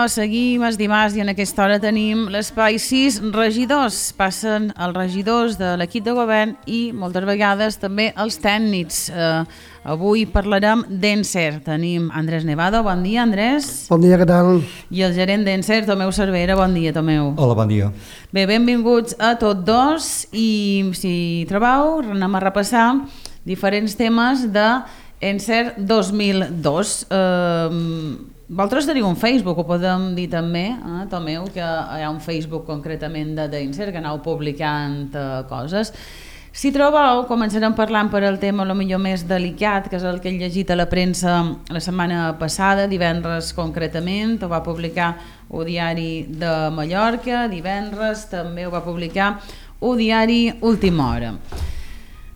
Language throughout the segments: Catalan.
seguim els dimarts i en aquesta hora tenim l'espai 6 regidors. Passen els regidors de l'equip de govern i moltes vegades també els tècnics. Avui parlarem d'Encer. Tenim Andrés Nevado. Bon dia, Andrés. Bon dia, què tal? I el gerent d'Encer, Tomeu Cervera. Bon dia, Tomeu. Hola, bon dia. Bé, benvinguts a tots dos i si trobeu, anem a repassar diferents temes d'Encer 2002. Vosaltres teniu un Facebook, ho podem dir també, Tomeu, que hi ha un Facebook concretament d'Encer, que aneu publicant coses. Si trobeu, començarem parlant per el tema millor més delicat, que és el que he llegit a la premsa la setmana passada, divendres concretament, ho va publicar el Diari de Mallorca, divendres també ho va publicar el Diari Última Hora.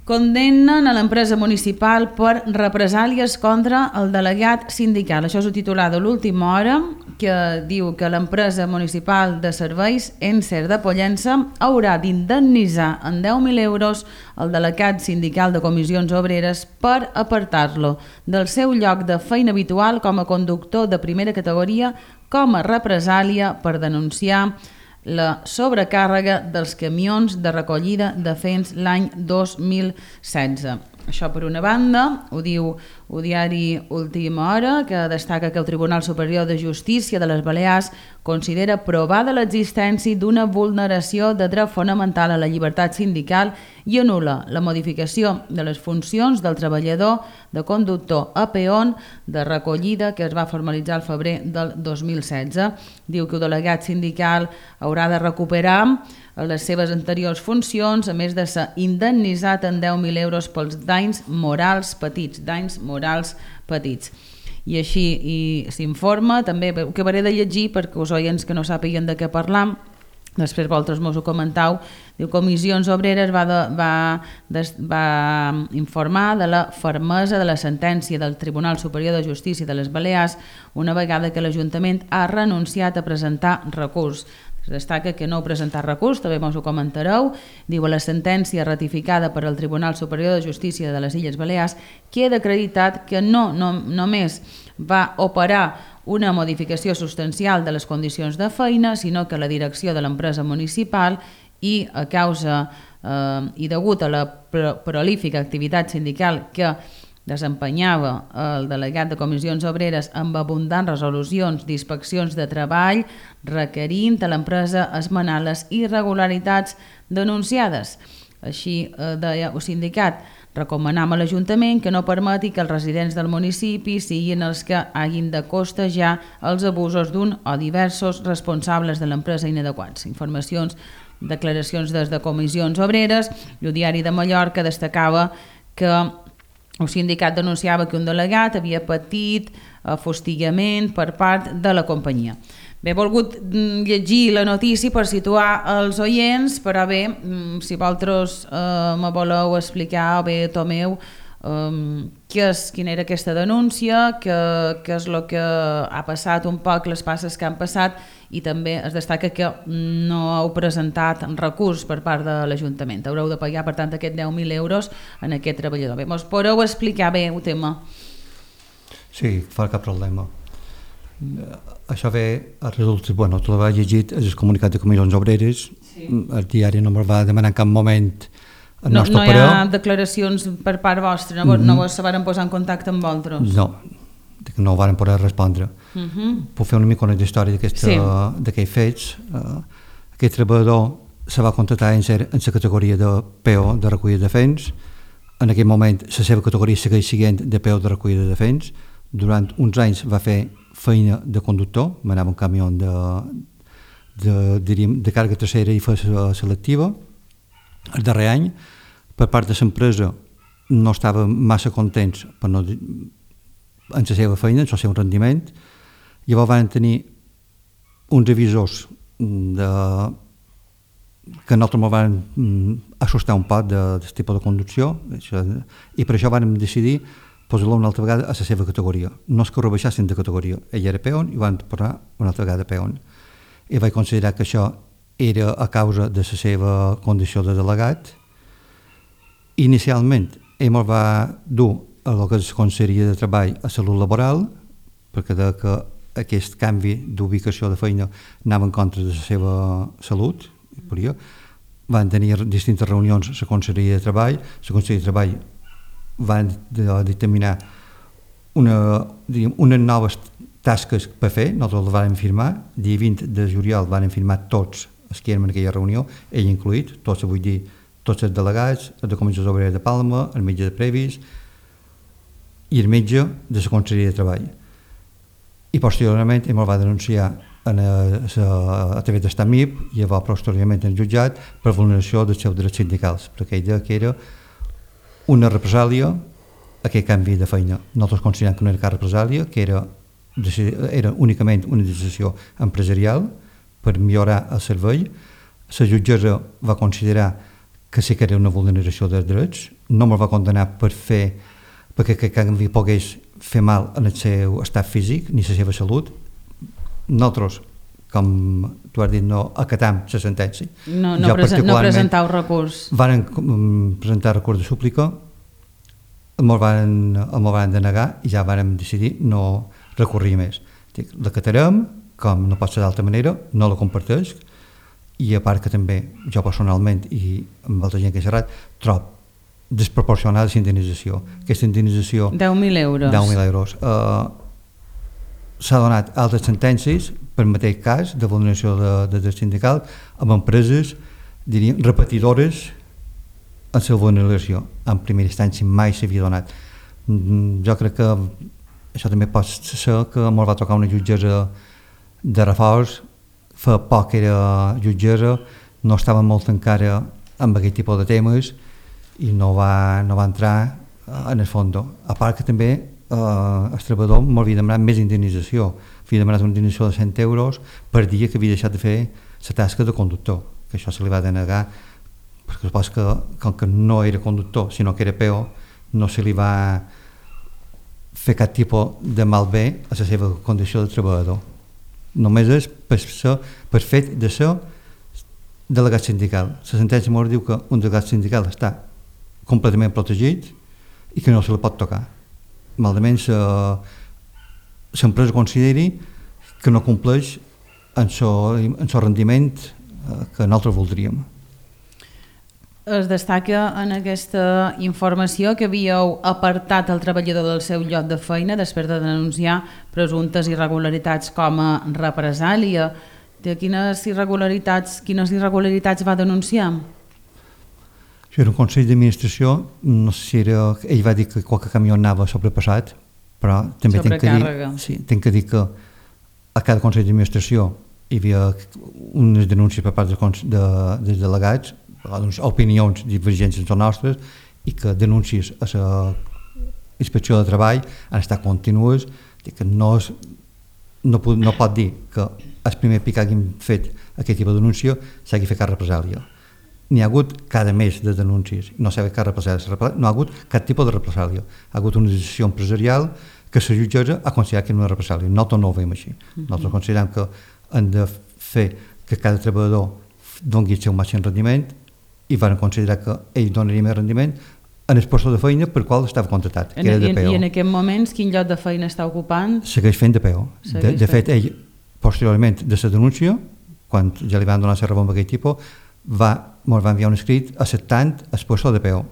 Condemnen a l'empresa municipal per represàlies contra el delegat sindical. Això és el titular de l'Última Hora, que diu que l'empresa municipal de serveis Encer de Pollença haurà d'indemnitzar en 10.000 euros el delegat sindical de comissions obreres per apartar-lo del seu lloc de feina habitual com a conductor de primera categoria com a represàlia per denunciar la sobrecàrrega dels camions de recollida de fens l'any 2016. Això per una banda, ho diu el diari Última Hora, que destaca que el Tribunal Superior de Justícia de les Balears considera provada l'existència d'una vulneració de dret fonamental a la llibertat sindical i anul·la la modificació de les funcions del treballador de conductor a peón de recollida que es va formalitzar al febrer del 2016. Diu que el delegat sindical haurà de recuperar les seves anteriors funcions, a més de ser indemnitzat en 10.000 euros pels danys morals petits, I així s'informa, també ho acabaré de llegir perquè els oients que no sàpiguen de què parlam, després vosaltres mos ho comentau. Diu, Comissions Obreres va informar de la fermesa de la sentència del Tribunal Superior de Justícia de les Balears una vegada que l'Ajuntament ha renunciat a presentar recurs. Es destaca que no heu presentat recurs, també us ho comentareu. Diu, la sentència ratificada per al Tribunal Superior de Justícia de les Illes Balears queda acreditat que no només va operar una modificació substancial de les condicions de feina, sinó que la direcció de l'empresa municipal i a causa i degut a la prolífica activitat sindical que desempenyava el delegat de comissions obreres amb abundants resolucions d'inspeccions de treball requerint a l'empresa esmenar les irregularitats denunciades. Així deia el sindicat, recomanam a l'Ajuntament que no permeti que els residents del municipi siguin els que hagin de costejar els abusos d'un o diversos responsables de l'empresa inadequats. Informacions, declaracions des de comissions obreres i el Diari de Mallorca destacava que el sindicat denunciava que un delegat havia patit fustigament per part de la companyia. Bé, he volgut llegir la notícia per situar els oients, però bé, si vosaltres me voleu explicar, o bé, Tomeu, quina era aquesta denúncia, què és el que ha passat un poc, les passes que han passat, i també es destaca que no heu presentat recurs per part de l'Ajuntament. Haureu de pagar, per tant, aquests 10.000 euros en aquest treballador. Bé, us podeu explicar bé el tema? Sí, fa cap problema. Això ve a resultat, bueno, tot l'ha llegit el comunicat de comissions obreres, sí. El diari no me'l va demanar en cap moment el nostre no hi ha declaracions per part vostra, no vos van posar en contacte amb vosaltres? No ho van poder respondre. Puc fer una mica una història d'aquells fets. Aquest treballador se va contractar en la categoria de PO de recollida de fens. En aquell moment la seva categoria segueix sent de PO de recollida de fens. Durant uns anys va fer feina de conductor, manava un camió de càrrega tercera i feia selectiva. El darrer any, per part de l'empresa, no estava massa contents en la seva feina, en el seu rendiment. Llavors van tenir uns revisors que nosaltres ens van assustar un poc d'aquest tipus de conducció i per això vam decidir posar-lo una altra vegada a la seva categoria. No és que ho rebaixassin de categoria. Ell era peón i van posar una altra vegada peón. I vaig considerar que això era a causa de la seva condició de delegat. Inicialment, ell ens va dur a el que és Conselleria de Treball a Salut Laboral, perquè que aquest canvi d'ubicació de feina anava en contra de la seva salut, van tenir distintes reunions a la Conselleria de Treball. La Conselleria de Treball van determinar unes noves tasques per fer. Nosaltres les vam firmar, dia 20 de juliol van firmar tots els que eren en aquella reunió, ell incluït, tots els delegats, el de Comissions Obreres de Palma, el metge de Previs i el metge de la Conselleria de Treball. I posteriorment ell me'l va denunciar a través d'estat MIP i llavors posteriorment en jutjat per vulneració dels seus drets sindicals, perquè ell deia que era una represàlia aquest canvi de feina. Nosaltres considerem que no era cap represàlia, que era únicament una decisió empresarial per millorar el servei. La jutgessa va considerar que sí que era una vulneració dels drets, no me'l va condenar perquè aquest canvi pogués fer mal en el seu estat físic ni la seva salut. Nosaltres, com tu has dit, no acatam la sentència. No presentau recurs. Van presentar recurs de súplica, me'l van denegar i ja vam decidir no recorrir més. L'acatarem, com no pot ser d'altra manera, no la comparteix, i a part que també jo personalment i amb altra gent que he xerrat trobo desproporcionada la indemnització. Aquesta indemnització 10.000 euros. 10.000 euros. S'ha donat altres sentències per mateix cas de vulneració de drets sindicals amb empreses, diríem, repetidores en la vulneració. En primera instància mai s'havia donat. Jo crec que això també pot ser que me'l va tocar una jutgessa de reforç, fa poc que era jutgessa, no estava molt encara amb aquest tipus de temes i no va entrar en el fons. A part que també el treballador m'havia demanat més indemnització, havia demanat una indemnització de 100 euros per dia que havia deixat de fer la tasca de conductor, que això se li va denegar perquè supos que com que no era conductor sinó que era peó, no se li va fer cap tipus de malbé a la seva condició de treballador. Només és per fet de ser delegat sindical. La sentència m'ho diu que un delegat sindical està completament protegit i que no se li pot tocar. Malament l'empresa consideri que no compleix en el rendiment que nosaltres voldríem. Es destaca en aquesta informació que havíeu apartat el treballador del seu lloc de feina després de denunciar presumptes irregularitats com a represàlia. De quines irregularitats va denunciar? Això era un consell d'administració, no sé si era... Ell va dir que qualque camió anava sobrepassat, però també tinc que dir que a cada consell d'administració hi havia unes denúncies per part dels delegats, opinions divergents entre nostres, i que denúncies a la inspecció de treball han estat contínues, que no pot dir que el primer pic que hagin fet aquest tipus de denúncia s'hagi fet cap represàlia. N'hi ha hagut cada mes de denúncies, no s'ha fet cap represàlia, no ha hagut cap tipus de represàlia. Ha hagut una decisió empresarial que la jutgessa ha considerat que era una represàlia. Nosaltres no ho veiem així. Nosaltres considerem que han de fer que cada treballador doni el seu màxim rendiment i van considerar que ell donaria més rendiment en el lloc de feina per qual estava contractat, que era de PO. I en aquests moments quin lloc de feina està ocupant? Segueix fent de PO. De fet, ell, posteriorment de la denúncia, quan ja li van donar la raó amb aquest tipus, ens va enviar un escrit acceptant el lloc de PO.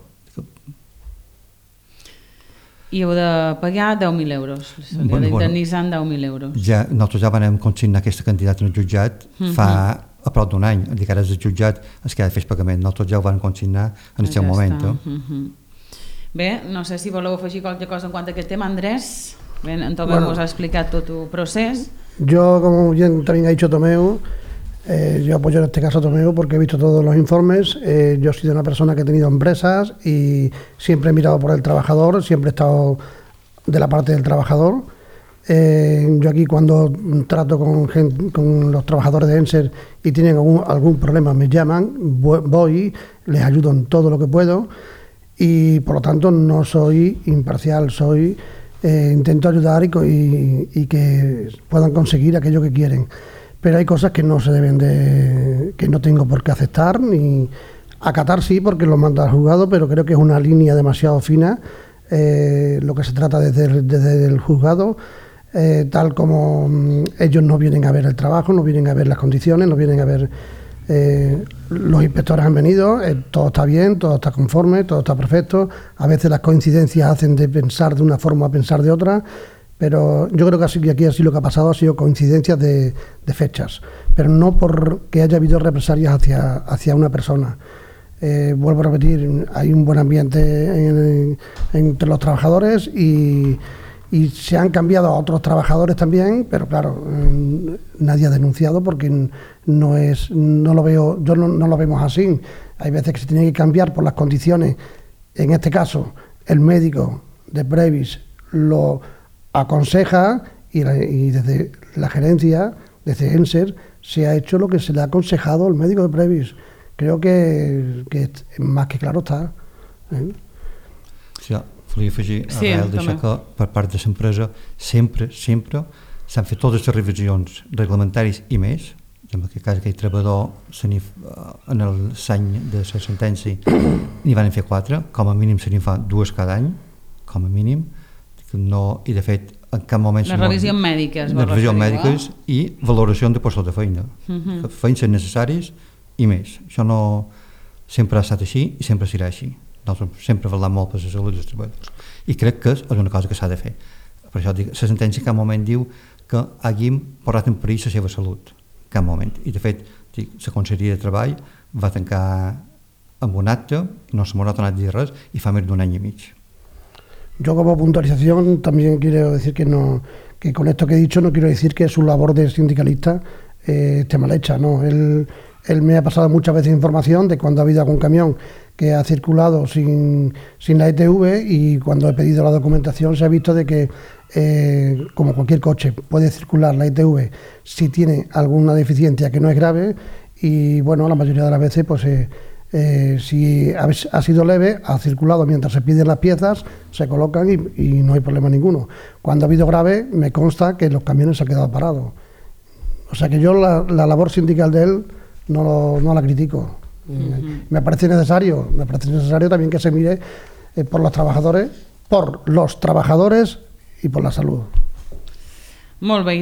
I heu de pagar 10.000 euros, d'indemnitzar 10.000 euros. Nosaltres ja vam consignar aquesta quantitat en el jutjat fa a prop d'un any, que ara és el jutjat el que ha de fer el pagament. Nosaltres ja ho vam consignar en el seu moment. Bé, no sé si voleu afegir qualque cosa en quant a aquest tema, Andrés. Bé, en Tomeu nos ha explicat tot el procés. Yo, como bien también ha dicho Tomeu, yo apoyo en este caso a Tomeu porque he visto todos los informes. Yo he sido una persona que he tenido empresas y siempre he mirado por el trabajador, siempre he estado de la parte del trabajador. Yo aquí cuando trato con los trabajadores de ENSER y tienen algún problema me llaman, voy, les ayudo en todo lo que puedo y por lo tanto no soy imparcial, intento ayudar y que puedan conseguir aquello que quieren. Pero hay cosas que no se deben que no tengo por qué aceptar ni acatar, sí, porque lo manda al juzgado, pero creo que es una línea demasiado fina lo que se trata desde el juzgado. tal como ellos no vienen a ver el trabajo, no vienen a ver las condiciones, no vienen a ver... los inspectores han venido, todo está bien, todo está conforme, todo está perfecto. A veces las coincidencias hacen de pensar de una forma a pensar de otra, pero yo creo que aquí así lo que ha pasado ha sido coincidencias de fechas, pero no porque haya habido represalias hacia una persona. Vuelvo a repetir, hay un buen ambiente entre los trabajadores y se han cambiado a otros trabajadores también, pero claro, nadie ha denunciado porque no lo vemos así. Hay veces que se tiene que cambiar por las condiciones. En este caso, el médico de Previs lo aconseja y desde la gerencia, desde ENSER, se ha hecho lo que se le ha aconsejado al médico de Previs. Creo que más que claro està. Sí, volia afegir a Rael d'això que per part de l'empresa sempre s'han fet totes les revisions reglamentaris i més. En aquest cas aquell treballador en l'any de la sentència n'hi van fer 4, com a mínim se n'hi fa 2 cada any, com a mínim, i de fet en cap moment... Les revisions mèdiques. Les revisions mèdiques i valoració de postos de feina. Feines necessaris i més. Això no sempre ha estat així i sempre serà així. Nosaltres sempre parlem molt per la salut dels treballadors. I crec que és una cosa que s'ha de fer. Per això dic, la sentència en cap moment diu que hàgim posat en perill la seva salut. En cap moment. I de fet, la Conselleria de Treball va tancar amb un acte i no se m'ha tornat a dir res i fa més d'un any i mig. Yo como puntualización también quiero decir que con esto que he dicho no quiero decir que su labor de sindicalista esté mal hecha, no. Él me ha pasado muchas veces información de cuando ha habido algún camión que ha circulado sin la ETV y cuando he pedido la documentación se ha visto de que como cualquier coche puede circular la ETV si tiene alguna deficiencia que no es grave y bueno, la mayoría de las veces pues si ha sido leve, ha circulado mientras se piden las piezas, se colocan y no hay problema ninguno. Cuando ha habido grave, me consta que los camiones se han quedado parados. O sea que yo la labor sindical de él no la critico. Me parece necesario también que se mire por los trabajadores y por la salud. Molt bé,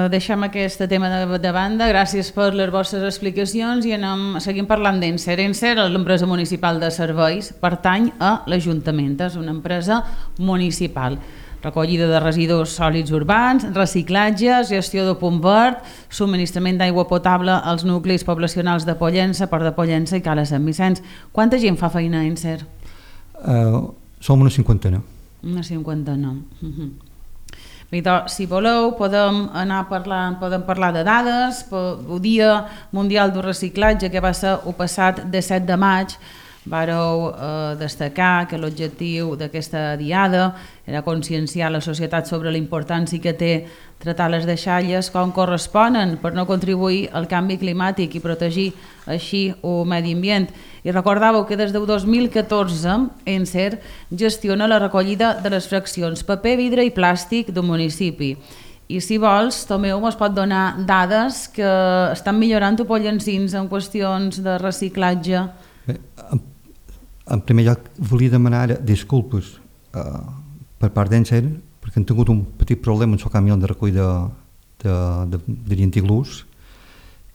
deixem aquest tema de banda. Gràcies per les vostres explicacions i seguim parlant d'ENSER. ENSER, l'empresa municipal de serveis, pertany a l'Ajuntament. És una empresa municipal. Recollida de residus sòlids urbans, reciclatge, gestió de punt verd, subministrament d'aigua potable als nuclis poblacionals de Pollença, Port de Pollença i Cala Sant Vicenç. Quanta gent fa feina a ENSER? Som una cinquantena. Una cinquantena. Si voleu, podem parlar de dades. El Dia Mundial del Reciclatge, que va ser el passat 17 de maig, vàreu destacar que l'objectiu d'aquesta diada era conscienciar la societat sobre la importància que té tratar les deixalles com corresponen per no contribuir al canvi climàtic i protegir així el medi ambient. I recordàveu que des del 2014 ENSER gestiona la recollida de les fraccions paper, vidre i plàstic del municipi. I si vols, Tomeu ens pot donar dades que estan millorant a Pollencins en qüestions de reciclatge. Bé, en primer lloc volia demanar disculpes per part d'ENSER perquè han tingut un petit problema amb el camió de recollida de llentilús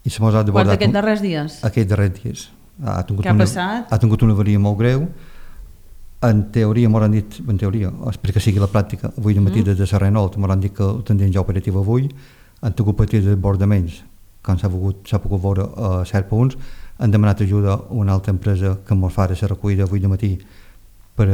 i se mos ha debordat... Aquests darrers dies? Aquests darrers dies. Què ha passat? Ha tingut una avaria molt greu. En teoria, m'ho han dit, perquè sigui la pràctica, avui de matí des de la Renault, m'ho han dit que ho tindrien ja operatiu avui, han tingut petits desbordaments, quan s'ha pogut veure a certs punts, han demanat ajuda a una altra empresa que ens fa la recollida avui de matí per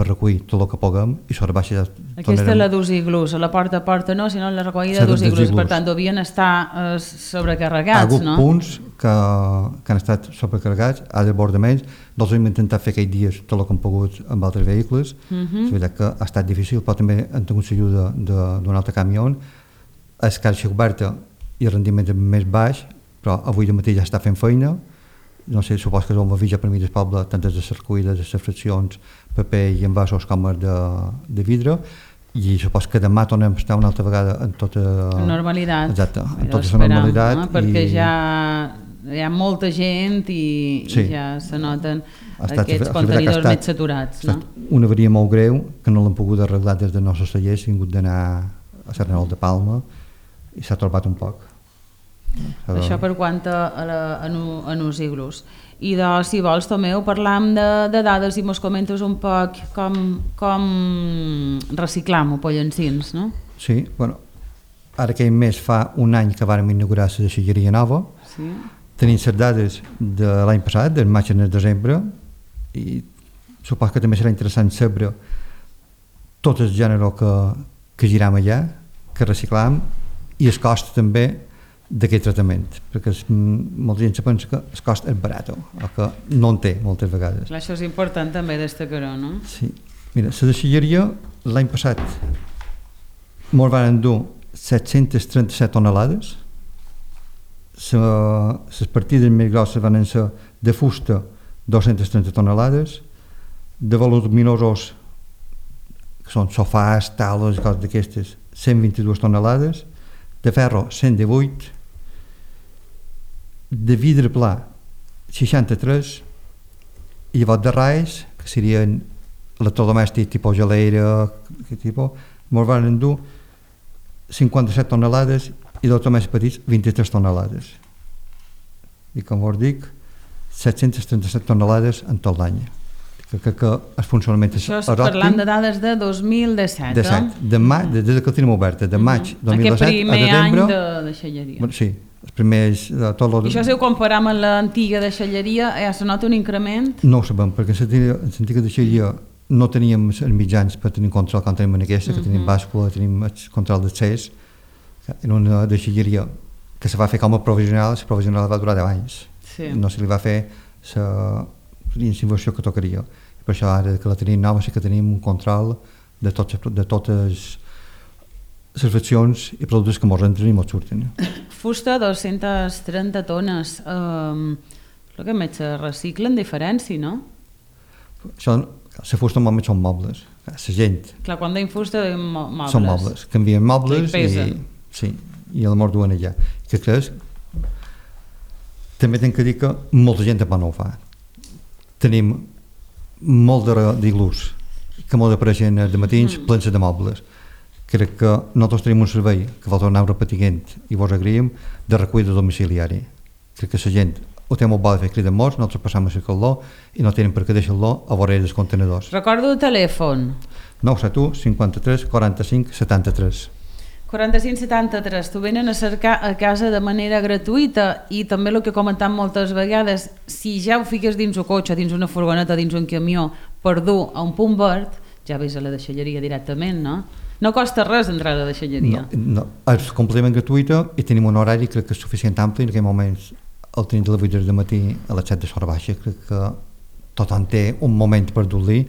recollir tot el que puguem i sobre baixa ja... Aquesta és la d'usiglús, a la porta a porta no, sinó la recollida d'usiglús, per tant devien estar sobrecarregats, no? Hi ha hagut punts que han estat sobrecarregats, a desbordaments, nosaltres hem intentat fer aquells dies tot el que hem pogut amb altres vehicles, és veritat que ha estat difícil, però també han tingut l'ajuda d'un altre camió, és caixa oberta i el rendiment és més baix, però avui de matí ja està fent feina. No sé, supos que és un avís per mi del poble, tant des de les recollides, les fraccions, paper i envasos com de vidre, i supos que demà tornem a estar una altra vegada en tota... normalitat. Exacte, en tota la normalitat. Perquè ja hi ha molta gent i ja se noten aquests contenidors més saturats. Ha estat una avaria molt greu que no l'han pogut arreglar des dels nostres tallers, hem hagut d'anar a Serranol de Palma i s'ha trobat un poc. Això per quant a els iglus. I si vols, Tomeu, parlam de dades i mos comentes un poc com reciclam o pollancins, no? Sí, bueno, ara aquell mes fa un any que vàrem inaugurar la deixalleria nova. Sí. Tenim les dades de l'any passat, del maig al desembre, i suposo que també serà interessant saber tot el gènere que giram allà, que reciclam, i el cost també d'aquest tractament, perquè molta gent se pensa que el cost és barat o que no en té moltes vegades. Això és important també destacar-ho, no? Sí. Mira, la deixalleria l'any passat ens van endur 737 tonelades, les partides més grosses van ser de fusta 230 tonelades, de voluminosos, que són sofàs, taules i coses d'aquestes, 122 tonelades, de ferro 118, de vidre pla 63, i llavors de rais, que serien electrodomèstics tipus geleira, ens van endur 57 tonelades i dels més petits 23 tonelades. I com us dic, 737 tonelades en tot l'any. Que el funcionament és òptim. Això parlant de dades de 2017, des que el tenim oberta, de maig 2017 aquest primer a desembre. Any de deixalleria. Bueno, sí, els primers... I això si ho comparam amb l'antiga deixalleria, ja se nota un increment? No ho sabem, perquè en l'antiga deixalleria no teníem els mitjans per tenir control com tenim en aquesta, que tenim bàscula, tenim el control d'accés. Era una deixalleria que se va fer com a provisional, la provisional va durar 10 anys. Sí. No se li va fer la inversió que tocaria. I per això ara que la tenim nova sí que tenim un control de totes les fraccions i productes que ens entren i ens surten. Fusta, 230 tones. El que més se reciclen diferència, no? Això, la fusta normalment són mobles. La gent... Clar, quan deim fusta deim mobles. Són mobles. Canvien mobles i el mort duen allà. Que creus? També tinc que dir que molta gent també no ho fa. Tenim molt d'iglús que molt apareixen de matins plens de mobles. Crec que nosaltres tenim un servei que vol tornar repetint i vos agraïm de recollida domiciliari. Crec que la gent ho té molt bo de fer criden morts, nosaltres passam a cercar-lo i no tenen per què deixar-lo a vora dels contenedors. Recordo el telèfon. 971 53 45 73. 4573, t'ho venen a cercar a casa de manera gratuïta i també el que comentam moltes vegades, si ja ho fiques dins un cotxe, dins una furgoneta, dins un camió per dur a un punt verd, ja ves a la deixalleria directament, no? No costa res entrar a la deixalleria. No, és completament gratuïta i tenim un horari crec que és suficient ampli, en aquell moment el tenim de les 8 del matí a les 7 de l'hora baixa, crec que tothom té un moment per dur-li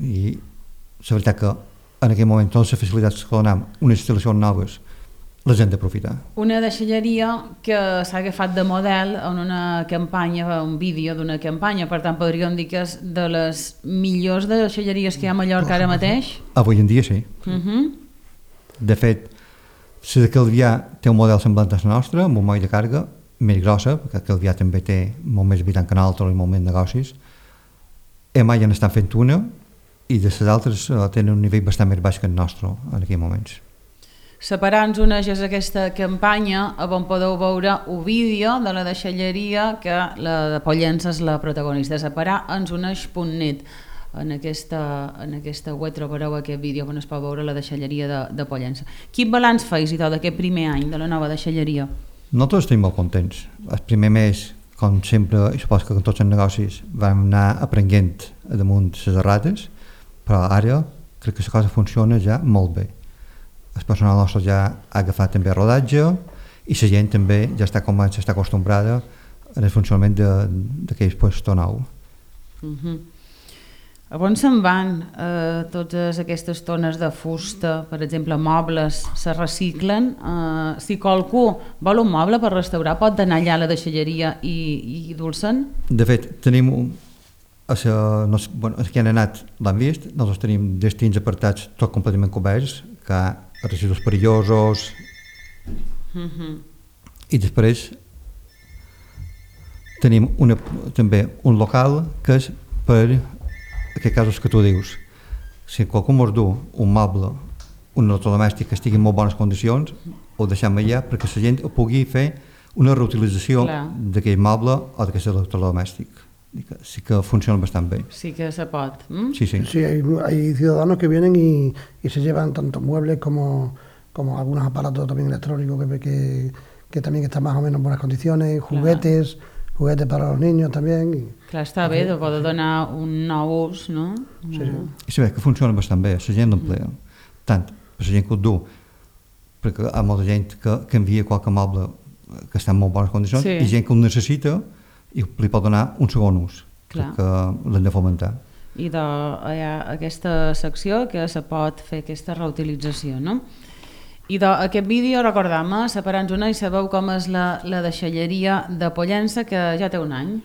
i la veritat que en aquell moment totes les facilitats que donem, unes instal·lacions noves, les hem d'aprofitar. Una deixalleria que s'ha agafat de model en una campanya, un vídeo d'una campanya, per tant podríem dir que és de les millors deixalleries que hi ha a Mallorca ara mateix? Avui en dia sí. De fet, la de Calvià té un model semblant a la nostra, amb un moll de càrrega més grossa, perquè Calvià també té molt més habitant que nosaltres i molt més negocis. Mai en estan fent una, i de les altres tenen un nivell bastant més baix que el nostre en aquells moments. Separant uneix aquesta campanya on podeu veure un vídeo de la deixalleria que la de Pollença és la protagonista. Separar ens uneix.net. En aquesta web trobareu aquest vídeo on es pot veure la deixalleria de Pollença. Quin balanç feis i tot d'aquest primer any de la nova deixalleria? Nosaltres estem molt contents. El primer mes, com sempre, i suposo que en tots els negocis vam anar aprenent damunt les errades, però ara crec que la cosa funciona ja molt bé. El personal nostre ja ha agafat també rodatge i la gent també ja comença a estar acostumbrada al funcionament d'aquell puesto nou. On se'n van totes aquestes tones de fusta, per exemple, mobles, se reciclen? Si qualcú vol un moble per restaurar, pot anar allà a la deixalleria i dur-se'n? De fet, tenim que han anat l'han vist, nosaltres tenim destins apartats tot completament coberts, que hi ha residus perillosos i després tenim també un local que és per aquests casos que tu dius. Si qualcú mos du un moble un electrodomèstic que estigui en molt bones condicions, ho deixem allà perquè la gent pugui fer una reutilització d'aquell moble o d'aquest electrodomèstic. Sí que funciona bastant bé. Sí que se pot. Sí, sí. Sí, hay ciudadanos que vienen y se llevan tanto muebles como algunos aparatos también electrónicos que también están más o menos en buenas condiciones, juguetes para los niños también. Clar, està bé de poder donar un nou ús, no? Sí. I sabeu que funciona bastant bé, la gent l'emplea. Tant per la gent que ho du, perquè hi ha molta gent que envia qualque moble que està en molt bones condicions, i gent que ho necessita i li pot donar un segon ús, que l'hem de fomentar. I hi ha aquesta secció que se pot fer aquesta reutilització, no? I aquest vídeo, recordem-me, separant una i sabeu com és la deixalleria de Pollença, que ja té un any.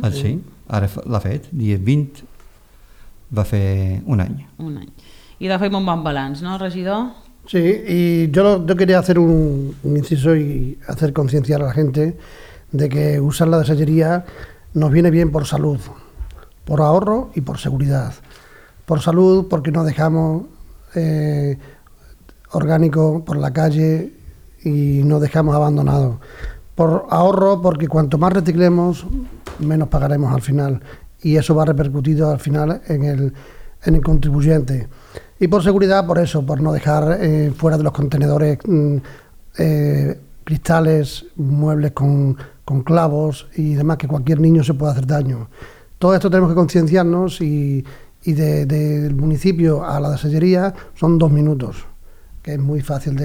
Sí, ara l'ha fet, dia 20 va fer un any. Un any. I de fer un bon balanç, no, regidor? Sí, y yo quería hacer un inciso y hacer concienciar a la gente de que usar la desallería nos viene bien por salud, por ahorro y por seguridad. Por salud porque no dejamos orgánico por la calle y no dejamos abandonado. Por ahorro porque cuanto más reciclemos, menos pagaremos al final, y eso va repercutido al final en el contribuyente. Y por seguridad, por eso, por no dejar fuera de los contenedores cristales, muebles con clavos y demás, que cualquier niño se puede hacer daño. Todo esto tenemos que concienciarnos y del municipio a la desallería son 2 minutos, que es muy fácil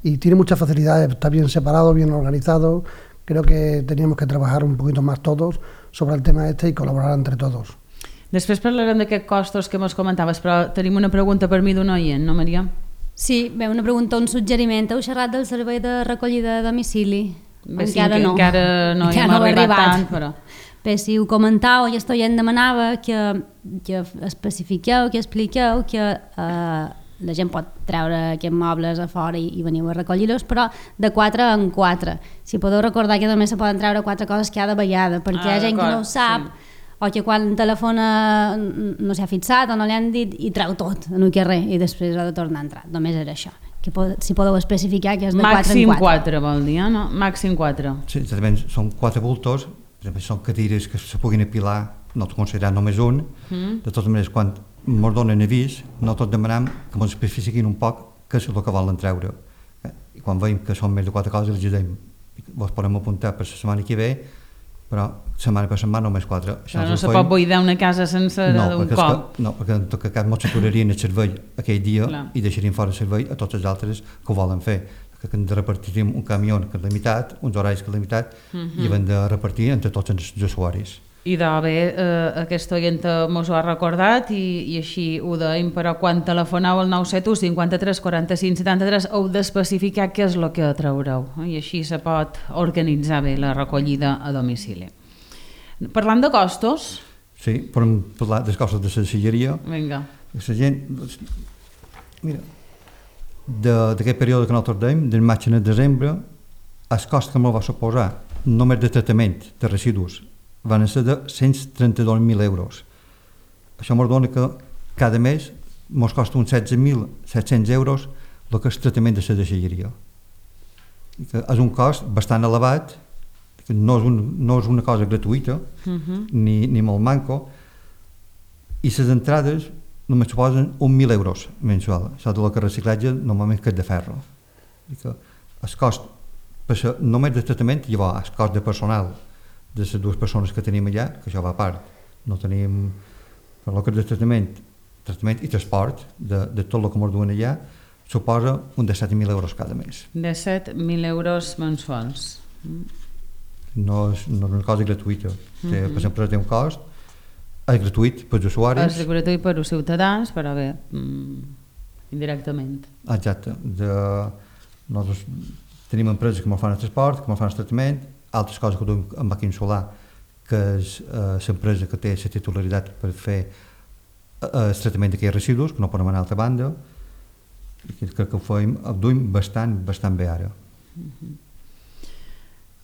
y tiene muchas facilidades, está bien separado, bien organizado. Creo que teníamos que trabajar un poquito más todos sobre el tema y colaborar entre todos. Després parlarem d'aquests costos que mos comentaves, però tenim una pregunta per mi d'un oient, no, Maria? Sí, bé, una pregunta, un suggeriment. Heu xerrat del servei de recollida a domicili? Bé, sí, encara no hi hem arribat tant, però... Bé, si ho comentau, i esto ja en demanava que especifiqueu, que expliqueu que la gent pot treure aquests mobles a fora i veniu a recollir-los, però de 4 en 4. Si podeu recordar que només se poden treure 4 coses cada vegada, perquè hi ha gent que no ho sap, o que quan telefona no s'ha fixat o no li han dit i treu tot en un carrer i després ha de tornar a entrar. Només era això. Si podeu especificar que és de 4 en 4. Màxim 4 vol dir, no? Màxim 4. Sí, exactament, són 4 bultos, són cadires que se puguin apilar, no t'ho considerat només un. De totes maneres, quan ens donen avís, nosaltres demanem que ens especifiquin un poc què és el que volen treure. I quan veiem que són més de 4 coses, els diem, vos podem apuntar per la setmana que ve, però setmana per setmana només 4. Però no se pot buidar una casa sencera d'un cop. No, perquè en tot cas ens aturarien el servei aquell dia i deixarien fora el servei a tots els altres que ho volen fer. Que ens repartiríem un camió que és limitat, uns horaris que és limitat, i hem de repartir entre tots els usuaris. I bé, aquesta oient mos ho ha recordat i així ho deim, però quan telefoneu al 971 53 45 73 heu d'especificar què és el que traureu, i així se pot organitzar bé la recollida a domicili. Parlant de costos... Sí, podem parlar dels costos de la deixalleria. Vinga. La gent... Mira, d'aquest període que nosaltres dèiem, del maig a desembre, el cost que me'l va suposar només de tractament de residus van ser de 132.000 euros. Això ens dona que cada mes ens costa uns 16.700 euros el que és tractament de la deixalleria. És un cost bastant elevat, que no és una cosa gratuïta, ni molt manco, i les entrades només suposen 1.000 euros mensual. Això de lo que reciclatge normalment que és de ferro. El cost només de tractament, llavors el cost de personal de les 2 persones que tenim allà, que això va a part, no tenim per el que és de tractament i transport de tot el que ens duen allà, suposa un de 7.000 euros cada mes. De 7.000 euros mensuals. No és una cosa gratuïta. Per exemple, té un cost, és gratuït per als usuaris. És gratuït per als ciutadans, però bé, indirectament. Exacte. Nosaltres tenim empreses que ens fan el transport, que ens fan el tractament, altres coses que duem amb Màquina Solar, que és l'empresa que té la titularitat per fer el tractament d'aquells residus, que no poden anar a altra banda, i crec que ho duem bastant bé ara.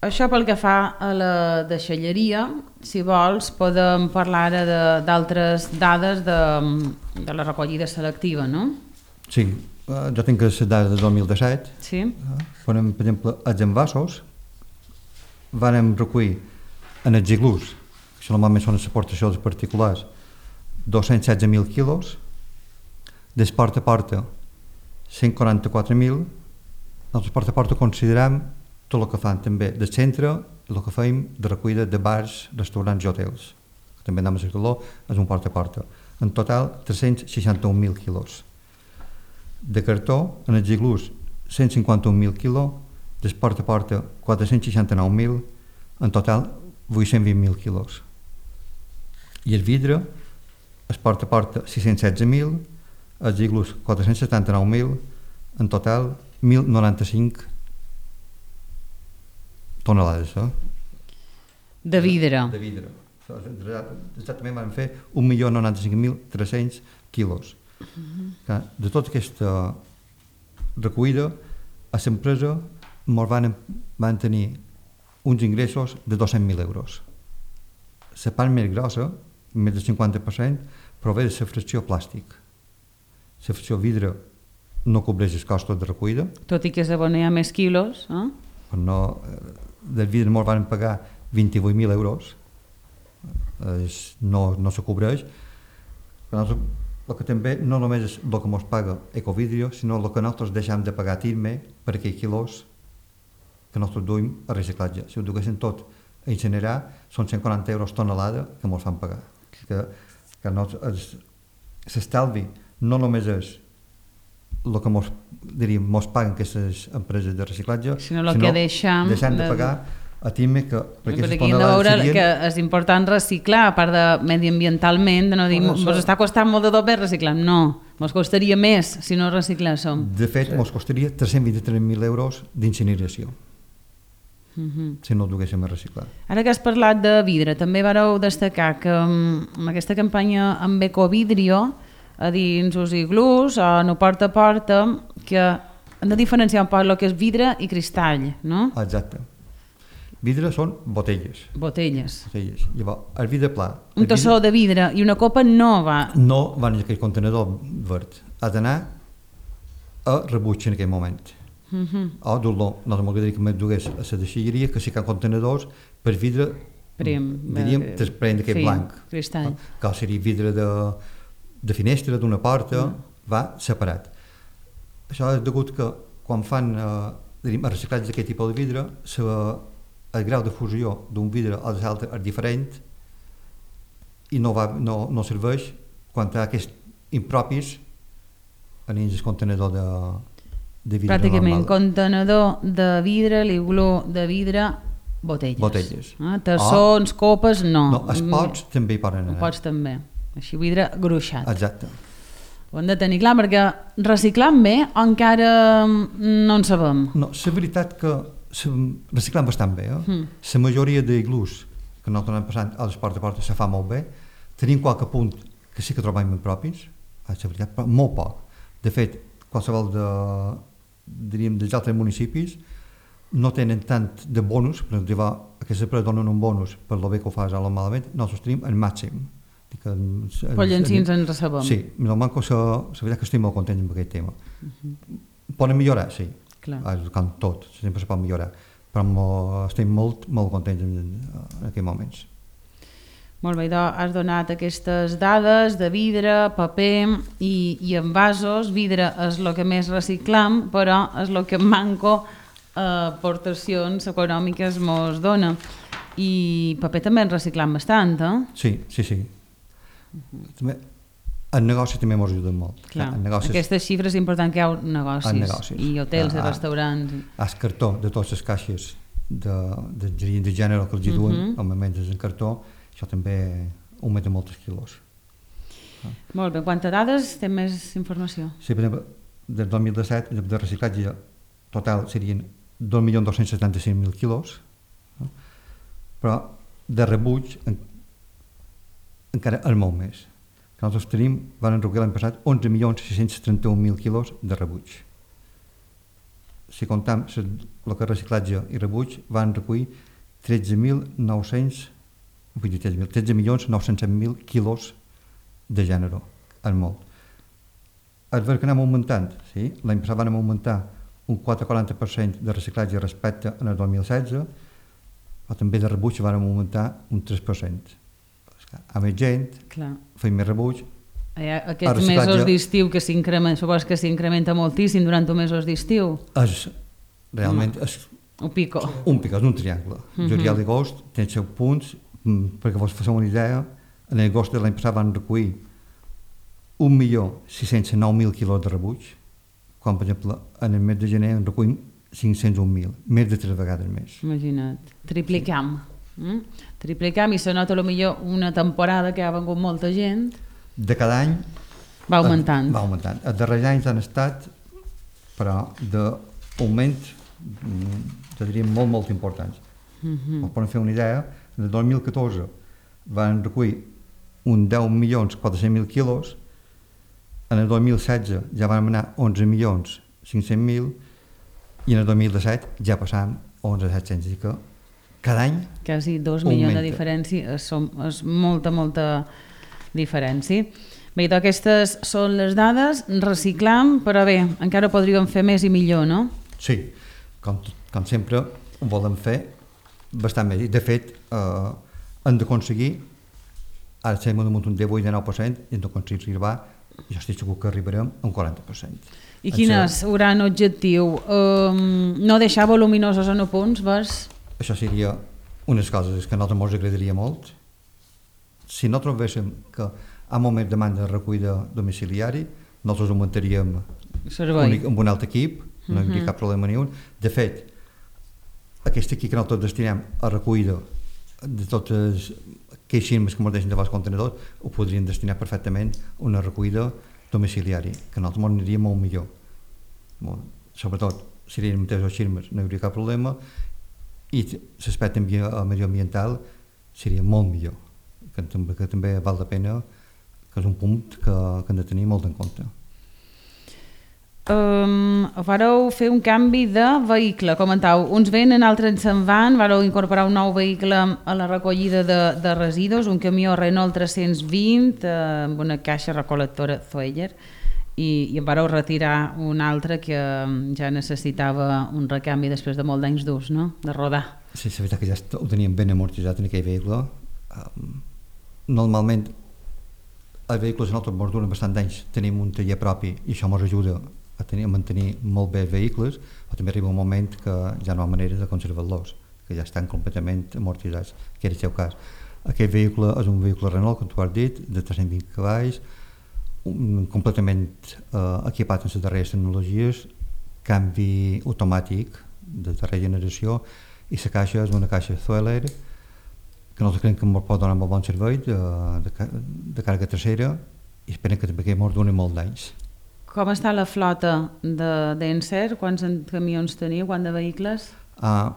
Això pel que fa a la deixalleria, si vols podem parlar ara d'altres dades de la recollida selectiva, no? Sí, Jo tinc les dades de 2017. Sí. Per exemple, els envasos vam recollir en els iglús, que normalment són les aportacions particulars, 216.000 quilos, des porta a porta 144.000. Nosaltres porta a porta considerem tot el que fan també del centre, el que fem de recollida de bars, restaurants i hotels, que també anem a Cercaló, és un porta a porta. En total 361.000 quilos. De cartó, en els iglús 151.000 quilos, des porta a porta 469.000, en total 820.000 quilos. I el vidre, es porta a porta 616.000, els iglús 479.000, en total 1.095 tonelades. De vidre. De vidre. Exactament vam fer 1.095.300 quilos. De tota aquesta recollida, a l'empresa van tenir uns ingressos de 200.000 euros. La part més grossa, més del 50%, prové de la fracció plàstic. La fracció vidre no cobreix els costos de recollida. Tot i que s'abonea més quilos, del vidre ens van pagar 28.000 euros. No se cobreix. El que també no només és el que ens paga Ecovidrio, sinó el que nosaltres deixem de pagar a TIRME per aquells quilos que nosaltres duim a reciclatge. Si ho duguessin tot a incinerar, són 140 euros tonelada que ens fan pagar. L'estalvi no només és el que ens paguen aquestes empreses de reciclatge, sinó el que deixem de pagar a TIRME, que per aquestes tonelades tonelades veure serien... que és important reciclar, a part de mediambientalment, de no dir, ens està costant molt de doble reciclar. No, ens costaria més si no recicléssim. De fet, ens costaria 323.000 euros d'incineració, si no ho duguéssim a reciclar. Ara que has parlat de vidre, també vareu destacar que amb aquesta campanya amb Ecovidrio, a dins els iglús, o no porta a porta, que hem de diferenciar un poc el que és vidre i cristall, no? Exacte. Vidre són botelles. Botelles. Llavors, el vidre pla... Un tassó de vidre i una copa no va... No va en aquell contenedor verd. Ha d'anar a rebuig en aquell moment. O dur-lo, no m'agradaria que me dugués a la deixalleria, que sí que hi ha contenedors per vidre, diríem, transparent d'aquest blanc. Cristall. Que seria vidre de finestra, d'una porta, va separat. Això és degut que quan fan el reciclatge d'aquest tipus de vidre, el grau de fusió d'un vidre a l'altre és diferent i no serveix quan hi ha aquests impropis en el contenedor de vidre pràcticament normal. Contenedor de vidre, l'iglú de vidre, botelles. Tassons, copes, no. No, els pots també hi poden anar. Pots també. Així vidre gruixat. Exacte. Ho hem de tenir clar, perquè reciclant bé encara no en sabem. No, la veritat que reciclant bastant bé. La majoria d'iglús que nosaltres anem passant a les porta a porta se fa molt bé. Tenim qualque punt que sí que trobem propis, la veritat, però molt poc. De fet, qualsevol dels altres municipis no tenen tant de bonus, per exemple, aquestes empreses donen un bonus per lo bé que ho fas o malament, nosaltres tenim el màxim. Però llancins ens recebem. Sí, la veritat que estic molt content amb aquest tema. Poden millorar, sí. Com tot, sempre se pot millorar, però estem molt contents en aquests moments. Molt bé, has donat aquestes dades de vidre, paper i envasos. Vidre és el que més reciclam, però és el que manco aportacions econòmiques ens dona. I paper també en reciclam bastant, eh? Sí. També el negoci també ens ajuda molt. Clar, aquestes xifres és important que hi ha negocis. I hotels i restaurants. El cartó de totes les caixes de gènere que els duen, normalment és en cartó, això també augmenta molts quilos. Molt bé, quantes dades? Té més informació? Sí, per exemple, del 2017 de reciclatge total serien 2.275.000 quilos, però de rebuig encara és molt més. Nosaltres van recollir l'any passat 11.631.000 quilos de rebuig. Si comptam el que és reciclatge i rebuig, van recollir 13.900.000 quilos de gènere. És molt. és ver que anem augmentant, sí? L'any passat vam augmentar un 4,40% de reciclatge respecte al 2016, però també de rebuig vam augmentar un 3%. A més gent, feim més rebuig. Aquests mesos d'estiu que supos que s'incrementa moltíssim durant els mesos d'estiu? Realment és un pico, és un triangle. Julià i agost tenen 7 punts, perquè vos feu una idea, en l'agost de l'any passat van recollir 1.609.000 quilos de rebuig, quan, per exemple, en el mes de gener en recollim 501.000, més de 3 vegades més. Imagina't, triplicam. Triplicam i se nota potser una temporada que ha vengut molta gent. De cada any va augmentant. Els darrers anys han estat, però, d'augment, diríem, molt importants. Per fer una idea, en el 2014 van recollir un 10.400.000 quilos, en el 2016 ja vam anar 11.500.000 i en el 2017 ja passàvem a 11.700.000, i que cada any quasi 2 milions de diferència, és molta diferència. Bé, aquestes són les dades, reciclam, però bé, encara podríem fer més i millor, no? Sí, com sempre ho volem fer bastant més. De fet, hem d'aconseguir, ara estem damunt un 18 de 9%, i hem d'aconseguir arribar, jo estic segur que arribarem a un 40%. I quin és el gran objectiu? No deixar voluminosos en punts, veus? Això seria unes coses que a nosaltres ens agradaria molt. Si no trobéssim que hi ha molt més demanda de recollida domiciliari, nosaltres augmentaríem amb un altre equip, no hi hauria cap problema ni un. De fet, aquest equip que nosaltres destinem a recollida de totes aquells firmes que ens deixen de els contenedors, ho podrien destinar perfectament a una recollida domiciliari, que a nosaltres ens aniria molt millor. Sobretot, si eren mateixos els firmes no hi hauria cap problema, i l'aspecte medioambiental seria molt millor, que també val la pena, que és un punt que hem de tenir molt en compte. Vareu fer un canvi de vehicle, comentau, uns venen, altres se'n van, vareu incorporar un nou vehicle a la recollida de residus, un camió Renault 320 amb una caixa recol·lectora Zoeller, i en vareu retirar un altre que ja necessitava un recanvi després de molt d'anys d'ús, no? De rodar. Sí, és veritat que ja ho teníem ben amortitzat en aquell vehicle. Normalment els vehicles nosaltres ens duren bastant d'anys, tenim un taller propi i això ens ajuda a mantenir molt bé els vehicles, però també arriba un moment que ja no hi ha manera de conservar-los, que ja estan completament amortitzats, que era el seu cas. Aquest vehicle és un vehicle Renault, com tu has dit, de 320 cavalls, completament equipat amb les darreres tecnologies, canvi automàtic de darrera generació, i la caixa és una caixa Zoeller que nosaltres creiem que ens pot donar molt bon servei de càrrega trasera, i esperem que també ens doni molt d'anys. Com està la flota d'Encer? Quants camions teniu? Quants de vehicles? A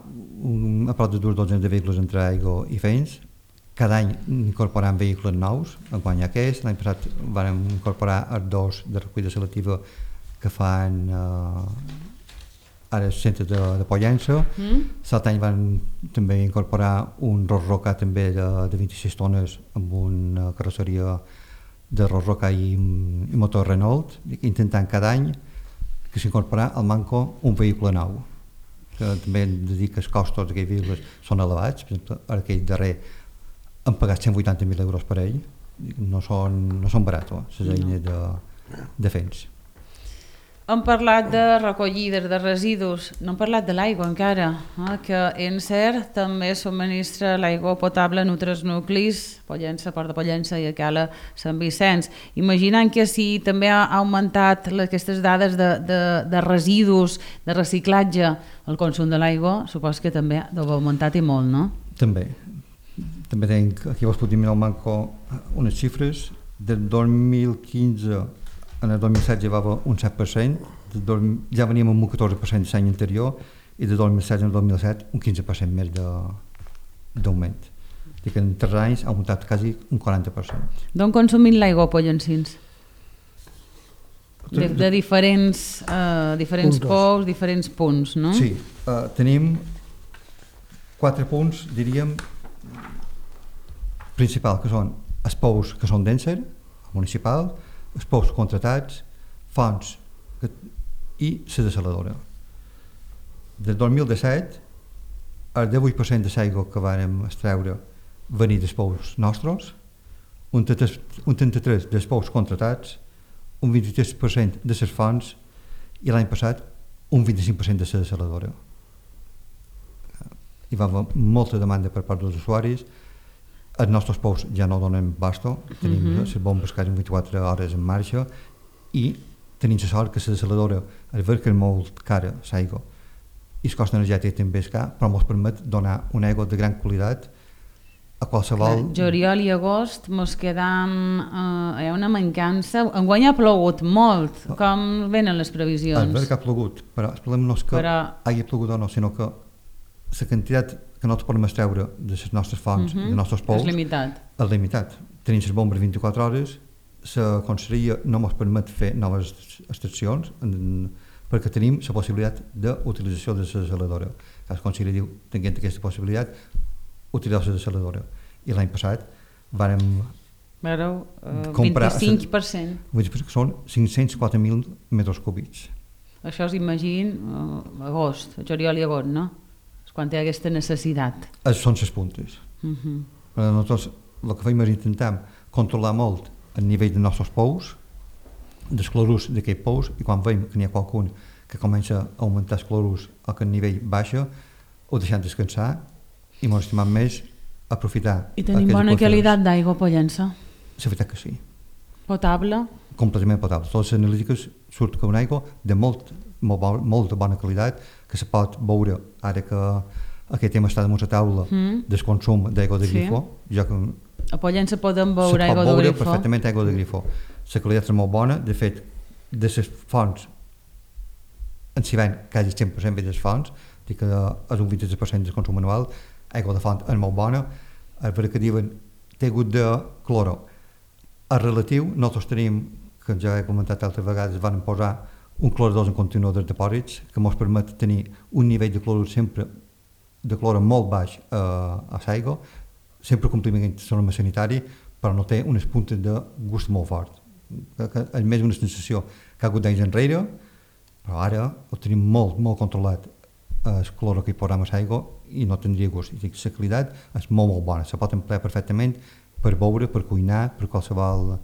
prop de 2 dotzens de vehicles entre aigua i feins. Cada any incorporem vehicles nous, enguany aquest. L'any passat vam incorporar els 2 de recollida selectiva que fan ara el centre de Pollença. L'altre any vam també incorporar un Ros-Roca també de 26 tones amb una carrosseria de Ros-Roca i motor Renault, intentant cada any que s'incorporà al manco un vehicle nou, que també hem de dir que els costos d'aquests vehicles són elevats. Per exemple, aquell darrer han pagat 180.000 euros per ell, no són barats les eines de feins. Hem parlat de recollides de residus, no hem parlat de l'aigua encara, que Encer també subministra l'aigua potable en altres nuclis, Pollença, Port de Pollença i a Cala Sant Vicenç. Imaginant que si també ha augmentat aquestes dades de residus, de reciclatge, el consum de l'aigua, supos que també deu haver augmentat i molt, no? També tenc, aquí vos podem mirar al manco unes xifres, del 2015 en el 2016 ja va haver un 7%, ja veníem amb un 14% l'any anterior, i de 2016 al 2017 un 15% més d'augment. Que en 3 anys ha augmentat quasi un 40%. D'on consumim l'aigua, pollencins? De diferents pous, diferents punts, no? Sí, tenim 4 punts, diríem, principals, que són els pous que són d'Encer, municipal, els pous contratats, fonts i la desaladora. Del 2017, el 18% de l'aigua que vam extreure venir dels pous nostres, un 33% dels pous contratats, un 23% de les fonts i l'any passat un 25% de la desaladora. Hi va haver molta demanda per part dels usuaris. Els nostres pous ja no donen basto, tenim les bombes quasi 24 hores en marxa i tenim la sort que la desaladora, al veure que és molt cara l'aigua i el cost energètic també és car, però ens permet donar una aigua de gran qualitat a qualsevol... Juliol i agost mos quedam... hi ha una mancança. Enguany ha plogut molt. Com venen les previsions? És veritat que ha plogut, però el problema no és que hagi plogut o no, sinó que la quantitat que nosaltres podem extreure de les nostres fonts, dels nostres pous... És limitat. És limitat. Tenim les bombes 24 hores, la conselleria no ens permet fer noves extraccions perquè tenim la possibilitat d'utilització de la desaladora. La conselleria diu, tenint aquesta possibilitat, utilitzar la desaladora. I l'any passat vàrem comprar... 25%. Que són 504.000 metres cúbics. Això us imagino agost, juliol i agost, no? És quan hi ha aquesta necessitat. Són les puntes. Nosaltres el que fem és intentar controlar molt el nivell dels nostres pous, dels clorurs d'aquests pous, i quan veiem que n'hi ha qualcun que comença a augmentar els clorurs o que el nivell baixa, ho deixem descansar i ens estimem més aprofitar. I tenim bona qualitat d'aigua a Pollença? La veritat que sí. Potable? Completament potable. Totes les analítiques surt que una aigua de molta bona qualitat que se pot veure ara que aquest tema està damunt la taula del consum d'aigua de grifo. A Pollença podem veure aigua de grifo? Se pot veure perfectament aigua de grifo. La qualitat és molt bona, de fet, de les fonts en s'hi ven quasi 100% de les fonts, dic que és un 23% del consum anual, aigua de font és molt bona, el que diuen té hagut de cloro. El relatiu, nosaltres tenim, que ja he comentat altres vegades, van posar un clorador en continuador de depòsits que ens permet tenir un nivell de clorur sempre de cloro molt baix a l'aigua, sempre complint la norma sanitari, però no té unes puntes de gust molt fort. És més una sensació que ha hagut d'anys enrere, però ara ho tenim molt controlat el cloro que hi posam a l'aigua i no tindria gust. I la qualitat és molt bona, se pot emplear perfectament per beure, per cuinar, per qualsevol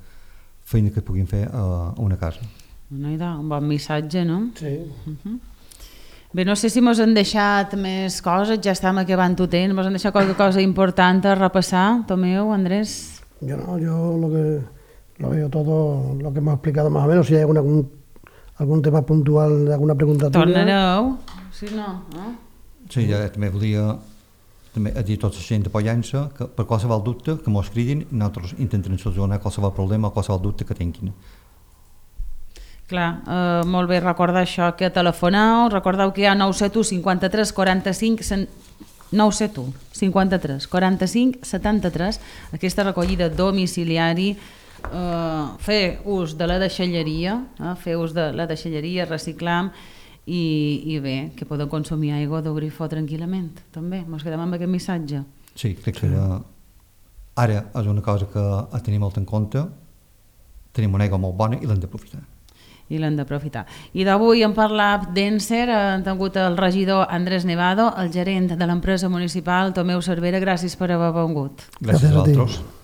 feina que puguin fer a una casa. Un bon missatge, no? Sí. Bé, no sé si mos han deixat més coses, ja estem acabant el temps, mos han deixat qualque cosa important a repassar, Tomeu, Andrés? Yo no, yo lo veo todo lo que hemos explicado más o menos. Si hay algún tema puntual, alguna pregunta tuya. Tornareu, si no, no? Sí, ja també volia dir a tota la gent de Pollença que per qualsevol dubte que mos cridin, nosaltres intentarem solucionar qualsevol problema o qualsevol dubte que tinguin. Clar, molt bé recordar això, que telefoneu, recordeu que hi ha 971 53 45 971 53 45 73, aquesta recollida domiciliari, fer ús de la deixalleria, fer ús de la deixalleria, reciclam i bé, que podeu consumir aigua de grifo tranquil·lament, també, ens quedem amb aquest missatge. Sí, crec que ara és una cosa que a tenir molt en compte, tenim una aigua molt bona i l'hem d'aprofitar. I l'hem d'aprofitar. I d'avui hem parlat d'Enser, hem tingut el regidor Andrés Nevado, el gerent de l'empresa municipal Tomeu Cervera, gràcies per haver vingut. Gràcies a vosaltres.